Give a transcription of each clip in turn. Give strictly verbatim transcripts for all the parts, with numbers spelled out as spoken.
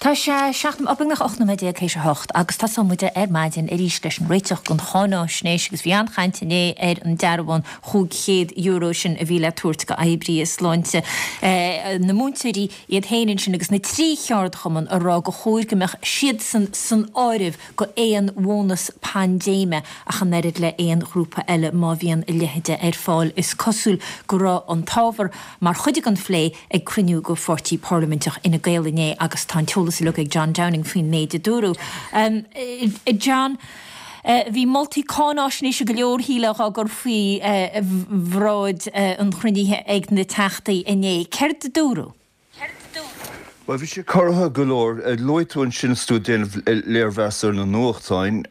Tá sé seacht beagnach ocht nóiméad déag théis a hocht agus tosóidh muid ar maidin arís leis an réiteach don cháinaisnéis agus bhí an-chaint inné ar an dearbhán chúig chéad euro sin a bhí le tabhairt go oibrithe sláinte. Na múinteoirí iad féin ansin agus na trí cheardchumann a rá go chóir go mbeadh siadsan san áireamh go aon bhónas paindéime ach an oiread le aon ghrúpa eile má bhíonn a leithéide ar fáil. Is cosúil go raibh an t-ábhar mar chuid den phlé ag cruinniú go pháirtí parlaiminteach Fhine Gael inné agus tá an t-eolas uilig ag John Downing faoin méid a dúradh. Um, John, Uh, bhí moltaí cáinaisnéise go leor shílfeá á gcur faoi uh, bhráid uh, an chruinnithe ag na teachtaí inné. Céard a dúradh? Well bhí sé corraithe go leor luaigh tú ansin is tú ag déanamh léirmheas ar na nuachtáin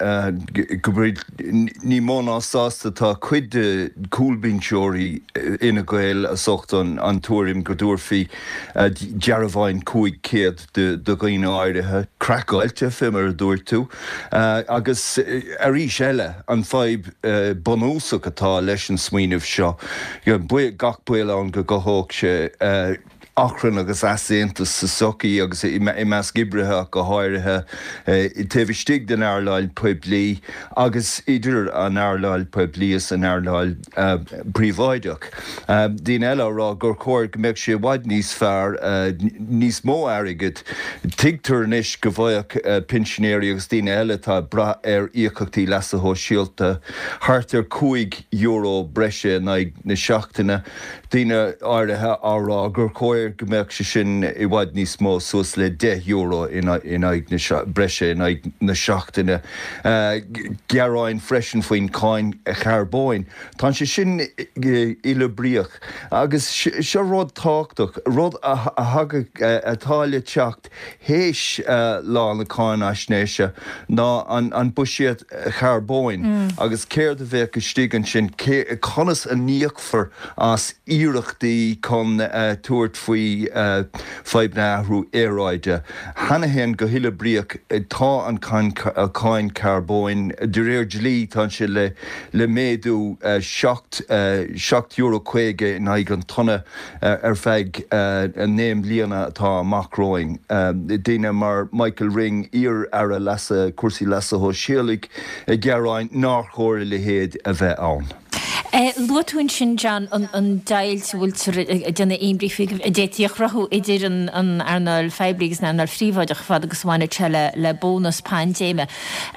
go bhfuil ní mó ná sásta tá cuid de chúlbhinseoirí Fhine Gael as ucht an an tuairim go dtabharfaí dearbháin cúig céad de de dhaoine áirithe craiceáilte fé mar a dúirt tú agus arís eile an fadhb bunúsach atá leis an smaoineamh seo gach baol ann go gcothódh sé achrann agus easaontas sa tsochaí agus i measc oibrithe go háirithe taobh istigh den earnáil poiblí agus idir an earnáil poiblí is an earnáil príobháideach. Daoine eile á rá gur chóir go mbeadh sé i bhfad níos fearr níos mó airgid. Tuigtear anois go bhfaigheadh pinsinéirí agus daoine eile atá ag brath ar íocaíochtaí leasa shóisialta thart ar cúig euro breise in aghaidh na seachtaine. Daoine áirithe á rá gur chóir go mbeadh sé sin i bhfad níos mó suas le deich euro in aghaidh na breise in aghaidh na seachtaine. Gearáin freisin faoin cáin charbóin. Tá sé sin uileoibríoch agus seo rud tábhachtach, rud a thagadh atá le teacht théis lá na cáinaisnéise ná an buiséad charbóin agus céard a bheadh istigh ansin, conas a n-íocfar as iarrachtaí chun tabhairt faoi fadhb na athrú aeráide. Cheana féin go huileoibríoch tá an cáin carbóin de réir dlí tá sé le le méadú seacht seacht euro caoga in aghaidh an tonna ar feadh naoi mbliana atá amach romhainn. Daoine mar Michael Ring, iar-aire leasa cúrsaí leasa shóisialaigh ag gearán nár chóir a leithéid a bheith ann. Luaigh tú ansin, John, an deighilt a bhfuiltear ag déanamh imní faoi a d'fhéadfaí a chruthú idir an earnáil phoiblí agus an earnáil phríobháideach fad agus a bhaineann sé le bónas paindéime.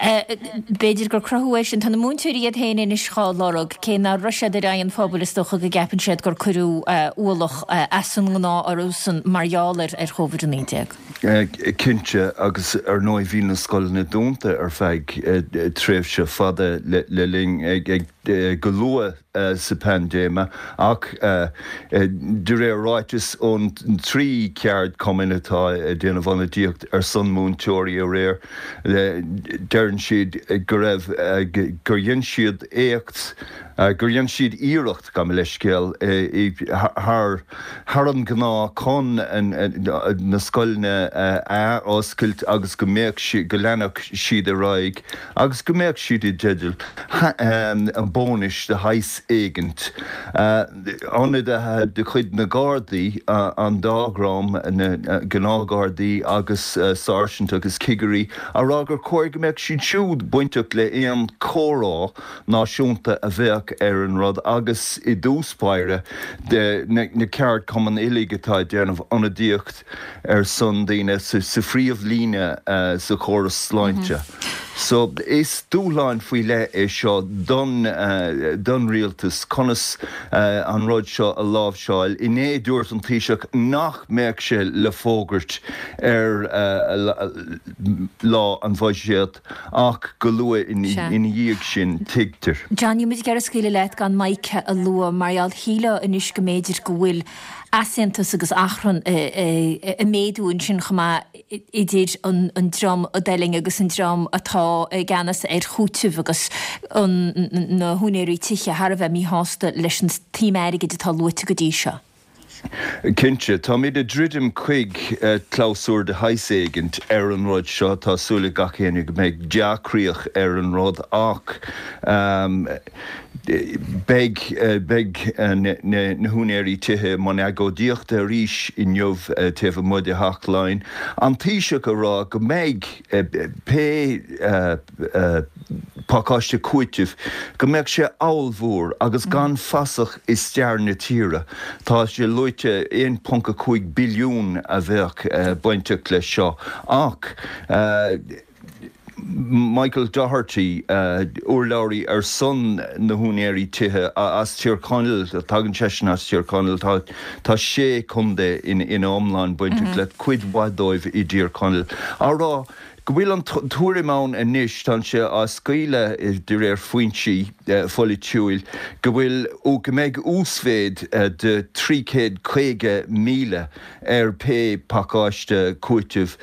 B'fhéidir gur cruthú é sin. Tá na múinteoirí iad féin anois dhá lorg, cé nach raibh siad ar aghaidh an phobail is dócha go gceapann siad gur cuireadh ualach as an ngnáth orthusan mar gheall ar Covid a naoi déag. Cinnte, agus ar ndóigh bhí na scoileanna dúnta ar feadh tréimhse fada le linn ag go luath sa phaindéime ach de réir ráiteas ón trí cheardchumann atá ag déanamh ionadaíocht ar son múinteoirí aréir, deireann siad go raibh gur dhein siad éacht, gur dhein siad iarracht, gabh mo leithscéal, thar thar an ngnáth chun na scoileanna a athoscailt agus go mbeadh go leanfadh siad ar aghaidh agus go mbeadh siad i dteideal bónais de shaghas éigint. Ionadaithe de chuid na Gardaí, an dá dhream, na gnáthghardaí agus sáirsint agus cigirí, á rá gur chóir go mbeadh siad siúd bainteach le aon chomhrá náisiúnta a bheadh ar an rud agus i dtús báire na ceardchumainn uilig atá ag déanamh ionadaíocht ar son daoine sa phríomhlíne sa chóras sláinte. So is dúshlán faoi leith é seo don don rialtas conas an rud seo a láimhseáil. Inné dúirt an Taoiseach nach mbeadh sé le fógairt ar lá an bhuiséid ach go luath ina dhiaidh sin, tuigtear. John, níl muid ag iarraidh scaoileadh leat gan Micah a lua mar gheall shílfeá anois go mb'fhéidir go bhfuil easaontas agus achrann ag méadú ansin chomh maith idir an dream a d'fhuiling agus an dream atá i gceannas ar chúiteamh agus na húinéirí tithe thar a bheith míshásta leis an tsuim airgid atá luaite go dtí seo. Cinnte, táimid ag druidim chuig clabhsúr de shaghas éigint ar an rud seo. Tá súil ag gach éinne go mbeidh dea-chríoch ar an rud ach Beidh beidh na húinéirí tithe i mbun agóidíochta arís inniu taobh amuigh de Theach Laighean. An Taoiseach ag rá go mbeidh pé pacáiste cúitimh, go mbeadh sé ollmhór agus gan fasach i stair na tíre. Tá sé luaite aon ponc a cúig billiún a bheadh bainteach leis seo ach Michael Doherty, urlabhraí ar son na húinéirí tithe as Tír Chonaill, tagann seisean as Tír Chonaill, tá tá sé chontae ina iomlán bainteach le cuid mhaith dóibh i dTír Chonaill, á rá go bhfuil an tuairim ann anois, tá sé á scaoileadh de réir foinsí pholaitiúil, go bhfuil go mbeidh uasmhéid de trí chéad caoga míle ar pé pacáiste cúitimh.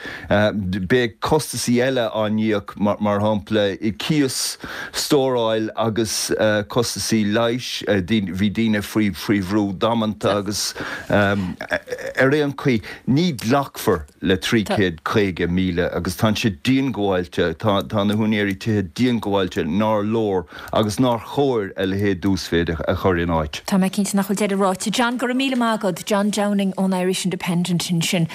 Beidh costasaí eile á n-íoc, mar shampla cíos, stóráil agus costasaí leighis. Bhí daoine faoi faoi bhrú damanta agus ar aon chaoi ní ghlacfar le trí chéad caoga míle agus tá siad diongbháilte, tá na húinéirí tithe diongbháilte nár leor agus nár chóir a leithéid d'uasmhéid a chur in áit. Tá mé cinnte nach bhfuil deireadh ráite. John, go raibh míle maith agat. John Downing ón Irish Independent ansin.